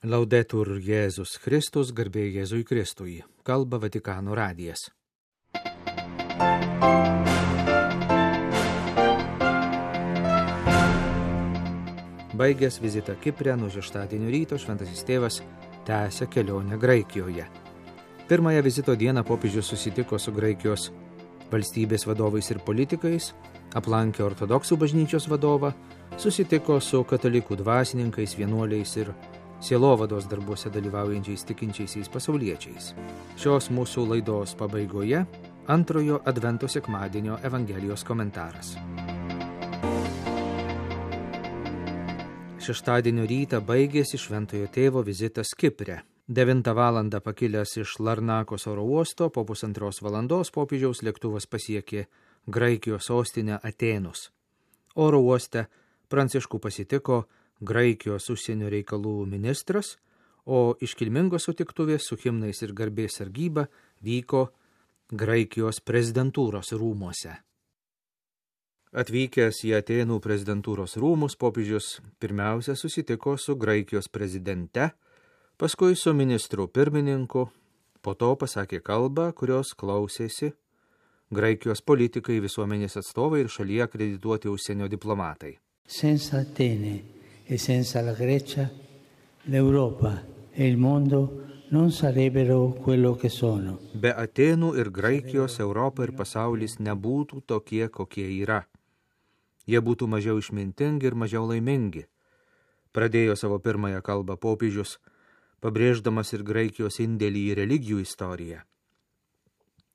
Laudetur Jėzus Kristus, garbė Jėzui Kristui, kalba Vatikano radijas. Baigęs vizitą Kipre nuo šeštadienio ryto šventasis tėvas tęsia kelionę Graikijoje. Pirmąją vizito dieną popiežius susitiko su Graikijos valstybės vadovais ir politikais, aplankė ortodoksų bažnyčios vadovą, susitiko su katalikų dvasininkais, vienuoliais ir sielovados darbuose dalyvaujančiais tikinčiaisiais pasauliečiais. Šios mūsų laidos pabaigoje antrojo Advento sekmadienio Evangelijos komentaras. Šeštadienio rytą baigėsi šventojo tėvo vizitas Kipre. 9 valandą pakilęs iš Larnakos oro uosto, po 1,5 valandos popiežiaus lėktuvas pasiekė Graikijos sostinę Atėnus. Oro uoste Pranciškų pasitiko Graikijos užsienio reikalų ministras, o iškilmingos sutiktuvės su himnais ir garbės sargyba vyko Graikijos prezidentūros rūmuose. Atvykęs į Atėnų prezidentūros rūmus, popiežius pirmiausia susitiko su Graikijos prezidente, paskui su ministru pirmininku, po to pasakė kalbą, kurios klausėsi Graikijos politikai, visuomenės atstovai ir šalyje akredituoti užsienio diplomatai. Senza Atene e senza la Grecia, l'Europa e il mondo non sarebbero quello che sono. Be Atėnų ir Graikijos Europa ir pasaulis nebūtų tokie, kokie yra. Jie būtų mažiau išmintingi ir mažiau laimingi. Pradėjo savo pirmąją kalbą popiežius, pabrėždamas ir Graikijos indėlį į religijų istoriją.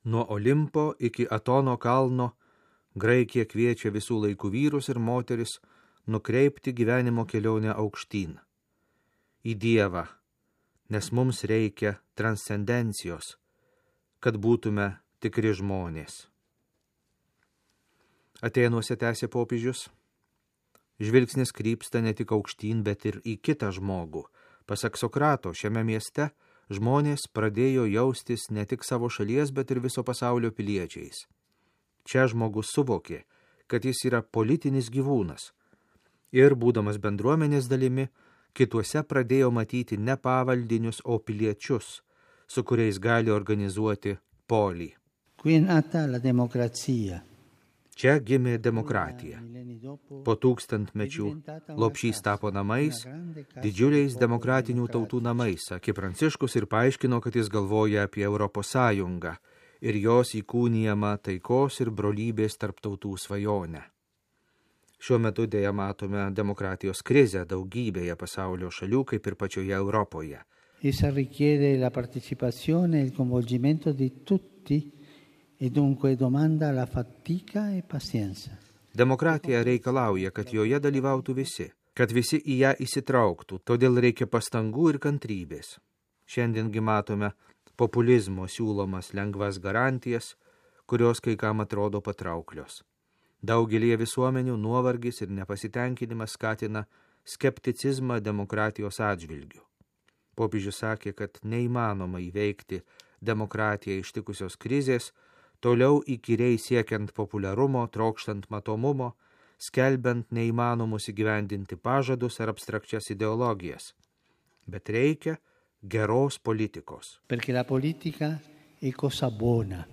Nuo Olimpo iki Atono kalno Graikija kviečia visų laikų vyrus ir moteris nukreipti gyvenimo kelionę aukštyn. Į Dievą, nes mums reikia transcendencijos, kad būtume tikri žmonės. Atėnuose tęsė popiežius. Žvilgsnis krypsta ne tik aukštyn, bet ir į kitą žmogų. Pasak Sokrato, šiame mieste žmonės pradėjo jaustis ne tik savo šalies, bet ir viso pasaulio piliečiais. Čia žmogus suvokė, kad jis yra politinis gyvūnas. Ir, būdamas bendruomenės dalimi, kituose pradėjo matyti ne pavaldinius, o piliečius, su kuriais gali organizuoti polį. Qui è nata la democrazia. Čia gimė demokratija. Po 1000-mečių lopšys tapo namais, didžiuliais demokratinių tautų namais, sakė Pranciškus ir paaiškino, kad jis galvoja apie Europos Sąjungą ir jos įkūnijamą taikos ir brolybės tarp tautų svajonę. Šiuo metu dėja matome demokratijos krizę daugybėje pasaulio šalių, kaip ir pačioje Europoje. Essa richiede la partecipazione e il coinvolgimento di tutti e dunque domanda la fatica e pazienza. Demokratija reikalauja, kad joje dalyvautų visi, kad visi į ją įsitrauktų, todėl reikia pastangų ir kantrybės. Šiandiengi matome populizmo siūlomas lengvas garantijas, kurios kai kam atrodo patrauklios. Daugelie visuomenių nuovargis ir nepasitenkinimas skatina skepticizmą demokratijos atžvilgiu. Popiežius sakė, kad neįmanoma įveikti demokratiją ištikusios krizės, toliau įkyriai siekiant populiarumo, trokštant matomumo, skelbiant neįmanomus įgyvendinti pažadus ar abstrakčias ideologijas. Bet reikia geros politikos. Perché la politica è cosa buona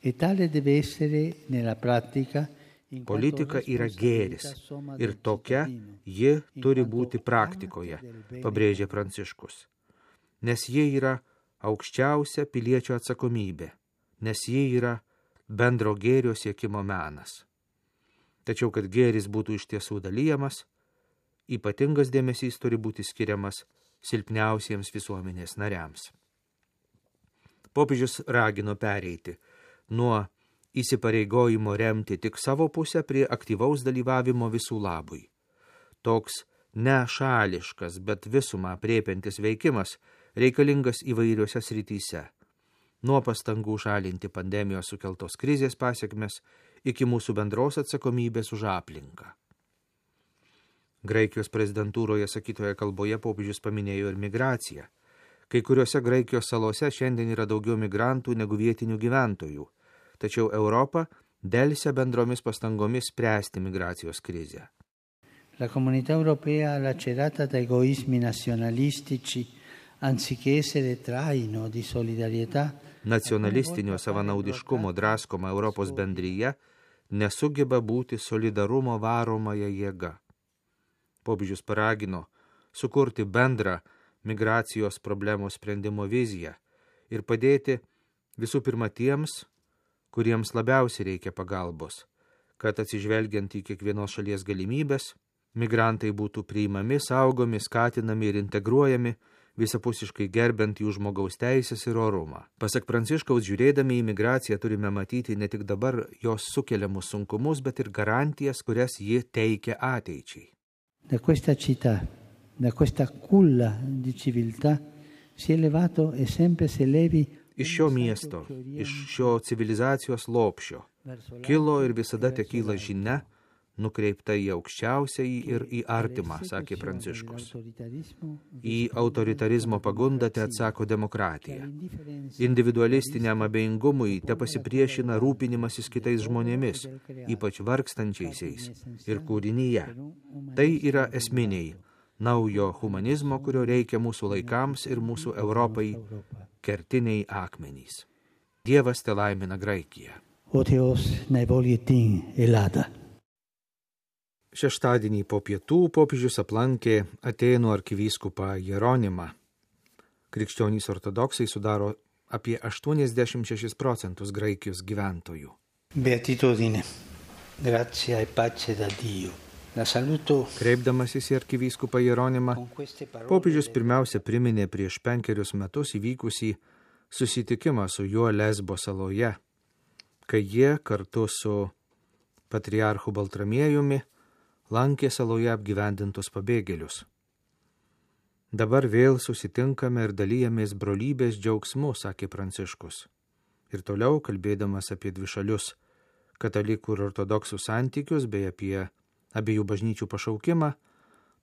e tale deve essere nella pratica. Politika yra gėris ir tokia ji turi būti praktikoje, pabrėžė Pranciškus. Nes ji yra aukščiausia piliečio atsakomybė, nes ji yra bendro gėrio siekimo menas. Tačiau, kad gėris būtų iš tiesų dalyjamas, ypatingas dėmesys turi būti skiriamas silpniausiems visuomenės nariams. Popiežius ragino pereiti nuo įsipareigojimo remti tik savo pusę prie aktyvaus dalyvavimo visų labui. Toks nešališkas, bet visumą aprėpiantis veikimas reikalingas įvairiuose srityse. Nuo pastangų šalinti pandemijos sukeltos krizės pasekmes iki mūsų bendros atsakomybės už aplinką. Graikijos prezidentūroje sakytoje kalboje popiežius paminėjo ir migraciją. Kai kuriuose Graikijos salose šiandien yra daugiau migrantų negu vietinių gyventojų, tačiau Europa delsia bendromis pastangomis spręsti migracijos krizę. La comunità europea, lacerata da egoismi nazionalistici, anziché essere traino di solidarietà, Nacionalistinio savanaudiškumo draskoma Europos bendryje nesugeba būti solidarumo varomąją jėgą. Popiežius paragino sukurti bendrą migracijos problemos sprendimo viziją ir padėti visų pirma tiems, kuriems labiausiai reikia pagalbos, kad atsižvelgiant į kiekvienos šalies galimybės, migrantai būtų priimami, saugomi, skatinami ir integruojami, visapusiškai gerbent jų žmogaus teisės ir orumą. Pasak Pranciškaus, žiūrėdami į migraciją turime matyti ne tik dabar jos sukeliamus sunkumus, bet ir garantijas, kurias ji teikia ateičiai. Da questa città, da questa culla di civiltà, si è levato e sempre se levi Iš šio miesto, iš šio civilizacijos lopšio, kilo ir visada tekyla žinia, nukreipta į aukščiausiąjį ir į artimą, sakė Pranciškus. Į autoritarizmo pagundą te atsako demokratija. Individualistiniam abejingumui te pasipriešina rūpinimasis kitais žmonėmis, ypač vargstančiaisiais ir kūrinyje. Tai yra esminiai naujo humanizmo, kurio reikia mūsų laikams ir mūsų Europai, kertiniai akmenys. Dievas te laimina Graikiją. Šeštadienį po pietų popiežius aplankė Atėnų arkivyskupą Jeronimą. Krikščionys ortodoksai sudaro apie 86% Graikijos gyventojų. Beatitudine, grazia e pace da Dio. La saluto. Kreipdamasis į arkivyskupą Jeronimą, popiežius pirmiausia priminė prieš 5 metus įvykusį susitikimą su juo Lesbo saloje, kai jie kartu su patriarchu Baltramiejumi lankė saloje apgyvendintus pabėgėlius. Dabar vėl susitinkame ir dalyjamės brolybės džiaugsmu, sakė Pranciškus. Ir toliau, kalbėdamas apie dvišalius katalikų ir ortodoksų santykius bei apie abiejų bažnyčių pašaukimą,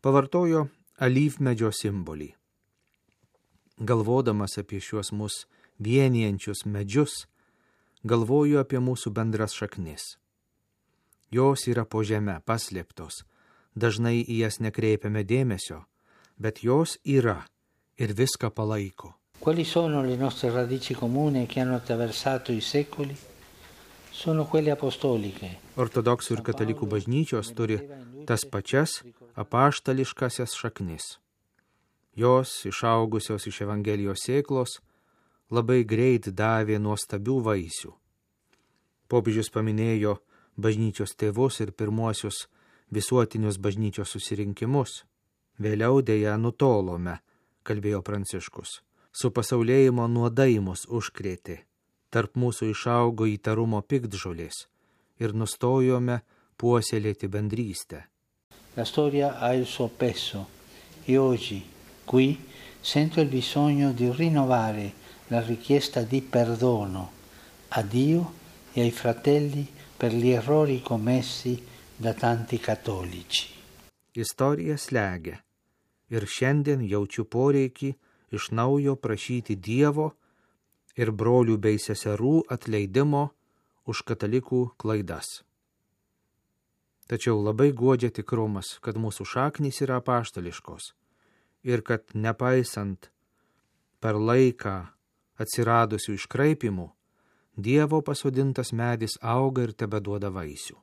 pavartojo alyvmedžio simbolį. Galvodamas apie šiuos mus vienijančius medžius, galvoju apie mūsų bendras šaknis. Jos yra po žeme, paslėptos, dažnai į jas nekreipiame dėmesio, bet jos yra ir viską palaiko. Quali sono le nostre radici comuni che hanno attraversato i secoli? Sono quelle apostoliche. Ortodoksų ir katalikų bažnyčios turi tas pačias apaštališkasias šaknis. Jos, išaugusios iš Evangelijos sėklos, labai greit davė nuostabių vaisių. Popiežius paminėjo bažnyčios tėvus ir pirmuosius visuotinius bažnyčios susirinkimus. Vėliau dėja nutolome, kalbėjo Pranciškus. Su pasaulėjimo nuodai mus užkrėtė. Tarp mūsų išaugo įtarumo piktžolės ir nustojome puoselėti bendrystę. La storia ha il suo peso e oggi qui sento il bisogno di rinnovare la richiesta di perdono a Dio e ai fratelli per gli errori commessi da tanti cattolici. Istorija slegia ir šiandien jaučiu poreikį iš naujo prašyti Dievo ir brolių bei seserų atleidimo už katalikų klaidas. Tačiau labai guodžia tikrumas, kad mūsų šaknys yra apaštališkos ir kad nepaisant per laiką atsiradusių iškraipimų, Dievo pasodintas medis auga ir tebeduoda vaisių.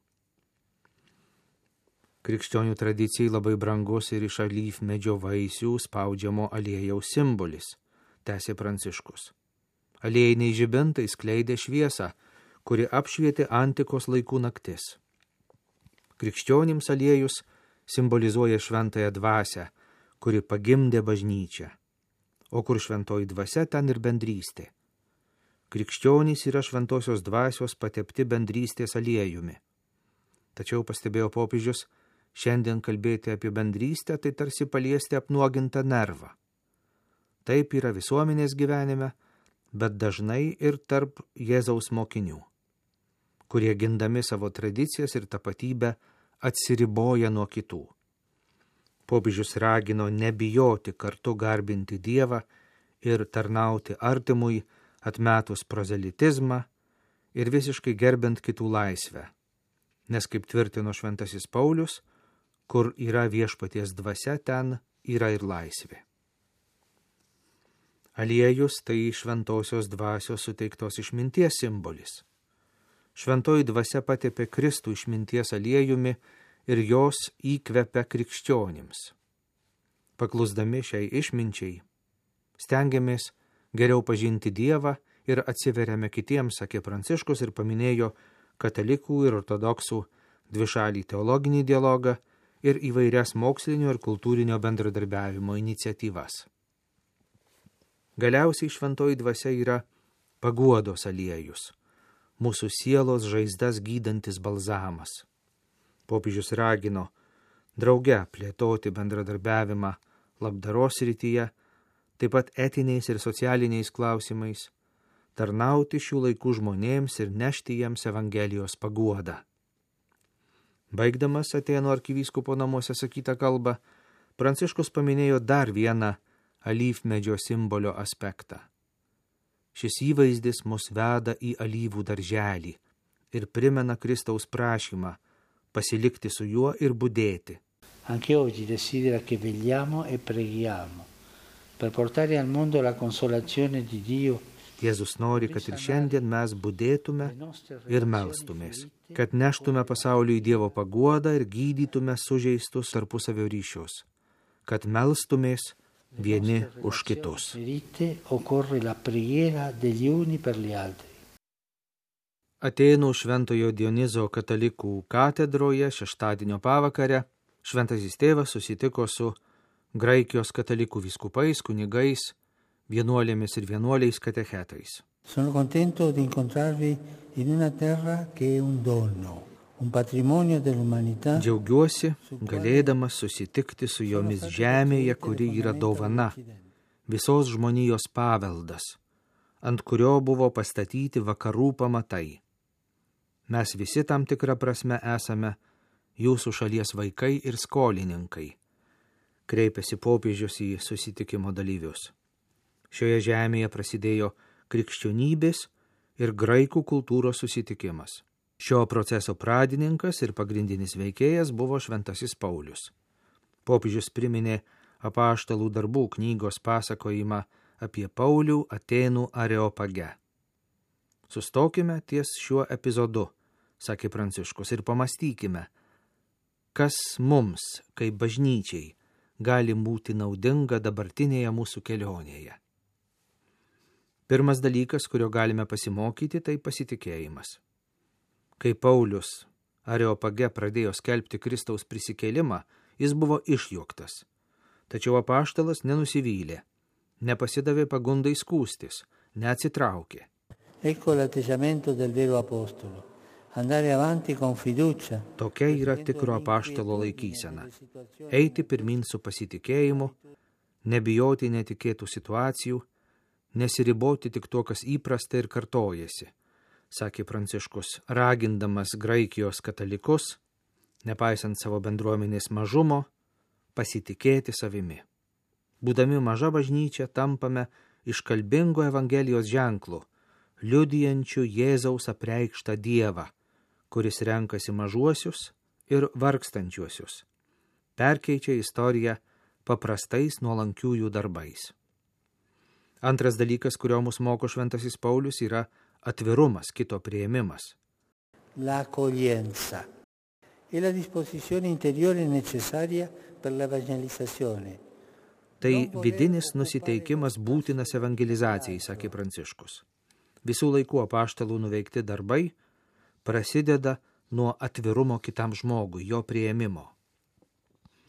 Krikščionių tradicijai labai brangus ir iš alyvmedžio vaisių spaudžiamo aliejaus simbolis, tęsė Pranciškus. Aliejiniai žibintai skleidė šviesą, kuri apšvietė antikos laikų naktis. Krikščionims aliejus simbolizuoja šventąją dvasią, kuri pagimdė bažnyčią. O kur šventoji dvasia, ten ir bendrystė. Krikščionys yra šventosios dvasios patepti bendrystės aliejumi. Tačiau, pastebėjo popiežius, šiandien kalbėti apie bendrystę, tai tarsi paliesti apnuogintą nervą. Taip yra visuomenės gyvenime, bet dažnai ir tarp Jėzaus mokinių, kurie gindami savo tradicijas ir tapatybę atsiriboja nuo kitų. Popiežius ragino nebijoti kartu garbinti Dievą ir tarnauti artimui, atmetus prozelitizmą ir visiškai gerbent kitų laisvę, nes, kaip tvirtino šventasis Paulius, kur yra viešpaties dvasia, ten yra ir laisvė. Aliejus tai šventosios dvasios suteiktos išminties simbolis. Šventoji dvasia patepė Kristų išminties aliejumi ir jos įkvepia krikščionims. Paklusdami šiai išminčiai, stengiamės geriau pažinti Dievą ir atsiveriame kitiems, sakė Pranciškus ir paminėjo katalikų ir ortodoksų dvišalį teologinį dialogą ir įvairias mokslinio ir kultūrinio bendradarbiavimo iniciatyvas. Galiausiai šventoji dvasia yra paguodos aliejus, mūsų sielos žaizdas gydantis balzamas. Popiežius ragino drauge plėtoti bendradarbiavimą labdaros srityje, taip pat etiniais ir socialiniais klausimais, tarnauti šių laikų žmonėms ir nešti jiems Evangelijos paguodą. Baigdamas Atėnų arkivyskupo namuose sakytą kalbą, Pranciškus paminėjo dar vieną alyvmedžio simbolio aspektą. Šis įvaizdis mus veda į alyvų darželį ir primena Kristaus prašymą pasilikti su juo ir budėti. Anche oggi desidera che vegliamo e preghiamo per portare al mondo la consolazione di Dio. Jėzus nori, kad ir šiandien mes budėtume ir melstumės, kad neštume pasauliui Dievo paguodą ir gydytume sužeistus tarpusavio ryšius, kad melstumės vieni už kitus. Atėnų Šventojo Dionizo katalikų katedroje šeštadienio pavakare Šventasis tėvas susitiko su Graikijos katalikų vyskupais, kunigais, vienuolėmis ir vienuoliais katechetais. Sono contento di incontrarvi in una terra che è un dono, un patrimonio dell'umanità. Džiaugiuosi, galėdamas susitikti su jomis žemėje, kuri yra dovana, visos žmonijos paveldas, ant kurio buvo pastatyti vakarų pamatai. Mes visi tam tikrą prasme esame jūsų šalies vaikai ir skolininkai, kreipėsi popiežius į susitikimo dalyvius. Šioje žemėje prasidėjo krikščionybės ir graikų kultūros susitikimas. Šio proceso pradininkas ir pagrindinis veikėjas buvo Šventasis Paulius. Popiežius priminė Apaštalų darbų knygos pasakojimą apie Paulių Atėnų Areopage. Sustokime ties šiuo epizodu, sakė Pranciškus, ir pamastykime, kas mums, kaip bažnyčiai, gali būti naudinga dabartinėje mūsų kelionėje. Pirmas dalykas, kurio galime pasimokyti, tai pasitikėjimas. Kai Paulius Areopage pradėjo skelbti Kristaus prisikėlimą, jis buvo išjuoktas. Tačiau apaštalas nenusivylė, nepasidavė pagundai skųstis, neatsitraukė. Ecco l'atteggiamento del vero apostolo. Andare avanti con fiducia. Tokia yra tikro apaštalo laikysena. Eiti pirmin su pasitikėjimu, nebijoti netikėtų situacijų, nesiriboti tik tuo, kas įprasta ir kartojasi, sakė Pranciškus, ragindamas Graikijos katalikus, nepaisant savo bendruomenės mažumo, pasitikėti savimi. Būdami maža bažnyčia tampame iškalbingo Evangelijos ženklu, liudijančių Jėzaus apreikštą Dievą, kuris renkasi mažuosius ir vargstančiuosius, perkeičia istoriją paprastais nuolankiųjų darbais. Antras dalykas, kurio mus moko Šventasis Paulius, yra atvirumas, kito priėmimas. La accoglienza e la disposizione interiore necessaria per la evangelizzazione. Tai vidinis nusiteikimas būtinas evangelizacijai, sakė Pranciškus. Visų laikų apaštalų nuveikti darbai prasideda nuo atvirumo kitam žmogui, jo priėmimo.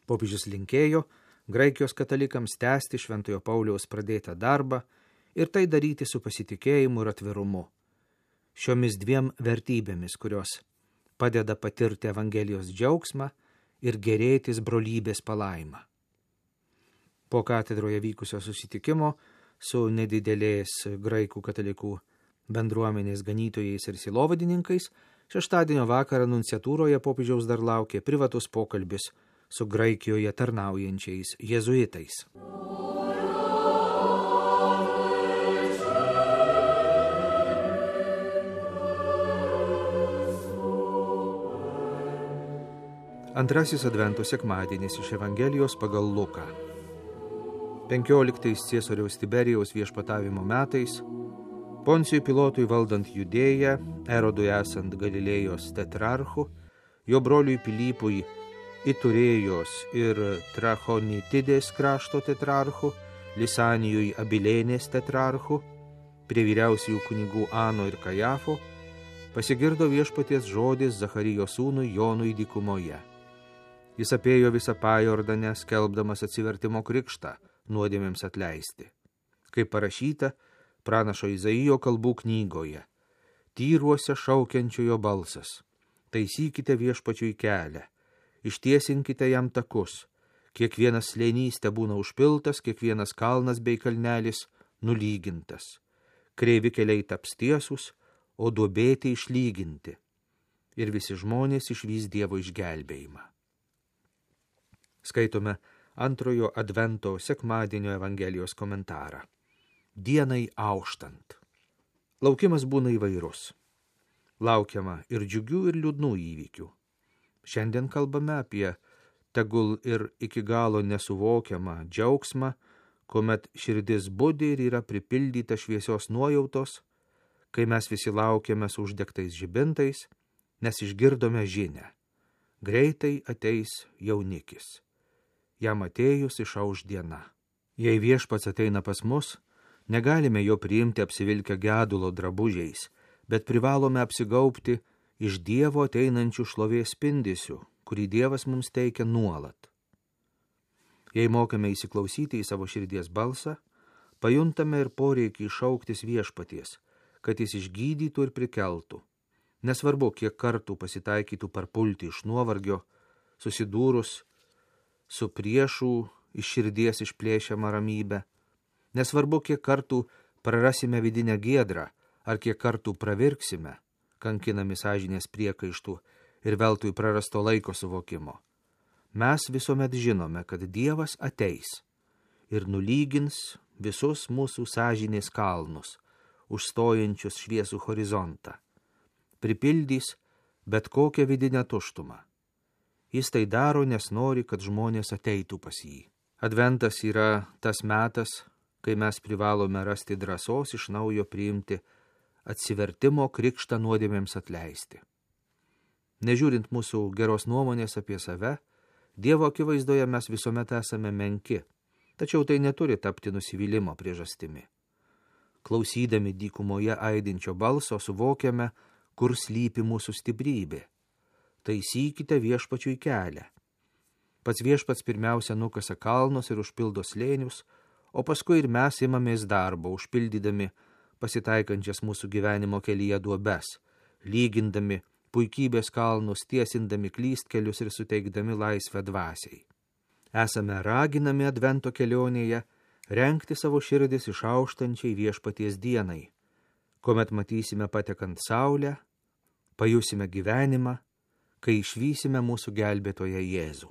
Popiežius linkėjo Graikijos katalikams tęsti Šventojo Pauliaus pradėtą darbą ir tai daryti su pasitikėjimu ir atvirumu. Šiomis dviem vertybėmis, kurios padeda patirti Evangelijos džiaugsmą ir gerėtis brolybės palaimą. Po katedroje vykusio susitikimo su nedidelės graikų katalikų bendruomenės ganytojais ir silovadininkais, šeštadienio vakarą nunciatūroje popiežiaus dar laukė privatus pokalbis su Graikijoje tarnaujančiais jėzuitais. Antrasis Advento sekmadienis iš Evangelijos pagal Luką. 15 Ciesoriaus Tiberijaus viešpatavimo metais, Poncijui Pilotui valdant Judėją, Erodui esant Galilėjos tetrarchu, jo broliui Pilypui Iturėjos ir Trachonitidės krašto tetrarchu, Lisanijui Abilėnės tetrarchu, prie vyriausiųjų kunigų Ano ir Kajafo, pasigirdo viešpaties žodis Zacharijo sūnui Jonui dykumoje. Jis apėjo visą Pajordanę, skelbdamas atsivertimo krikštą, nuodėmėms atleisti. Kaip parašyta pranašo Izaijo kalbų knygoje, tyruose šaukiančiojo balsas, taisykite viešpačiui kelią, ištiesinkite jam takus, kiekvienas slėnys tebūna užpiltas, kiekvienas kalnas bei kalnelis nulygintas, kreivi keliai taps tiesus, o duobėti išlyginti, ir visi žmonės išvys Dievo išgelbėjimą. Skaitome antrojo advento sekmadienio Evangelijos komentarą. Dienai auštant. Laukimas būna įvairus. Laukiama ir džiugių, ir liūdnų įvykių. Šiandien kalbame apie tegul ir iki galo nesuvokiamą džiaugsmą, kuomet širdis budi ir yra pripildyta šviesios nuojautos, kai mes visi laukiame su uždegtais žibintais, nes išgirdome žinią. Greitai ateis jaunikis. Jam atėjus išauš diena. Jei viešpats ateina pas mus, negalime jo priimti apsivilkę gedulo drabužiais, bet privalome apsigaubti iš Dievo ateinančių šlovės spindesių, kurį Dievas mums teikia nuolat. Jei mokame įsiklausyti į savo širdies balsą, pajuntame ir poreikį šauktis viešpaties, kad jis išgydytų ir prikeltų. Nesvarbu, kiek kartų pasitaikytų parpulti iš nuovargio, susidūrus su priešų iš širdies išplėšiama ramybę. Nesvarbu, kiek kartų prarasime vidinę giedrą, ar kiek kartų pravirksime, kankinami sąžinės priekaištų ir veltui prarasto laiko suvokimo. Mes visuomet žinome, kad Dievas ateis ir nulygins visus mūsų sąžinės kalnus, užstojančius šviesų horizontą. Pripildys bet kokią vidinę tuštumą. Jis tai daro, nes nori, kad žmonės ateitų pas jį. Adventas yra tas metas, kai mes privalome rasti drąsos iš naujo priimti atsivertimo krikštą nuodėmėms atleisti. Nežiūrint mūsų geros nuomonės apie save, Dievo akivaizdoje mes visuomet esame menki, tačiau tai neturi tapti nusivylimo priežastimi. Klausydami dykumoje aidinčio balso suvokiame, kur slypi mūsų stiprybė. Taisykite viešpačiui kelią. Pats viešpats pirmiausia nukasa kalnus ir užpildo slėnius, o paskui ir mes imamės darbo, užpildydami pasitaikančias mūsų gyvenimo kelyje duobes, lygindami puikybės kalnus, tiesindami klystkelius ir suteikdami laisvę dvasiai. Esame raginami advento kelionėje rengti savo širdis išauštančiai viešpaties dienai, kuomet matysime patekant saulę, pajusime gyvenimą, kai išvysime mūsų gelbėtoją Jėzų.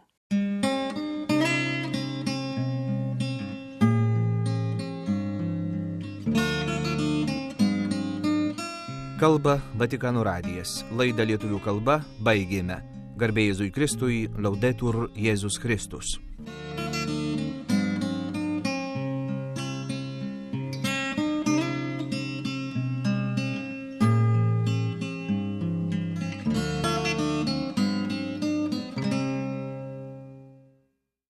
Kalba Vatikano radijas. Laidą lietuvių kalba baigėme. Garbė Jėzui Kristui, Laudetur Jėzus Kristus.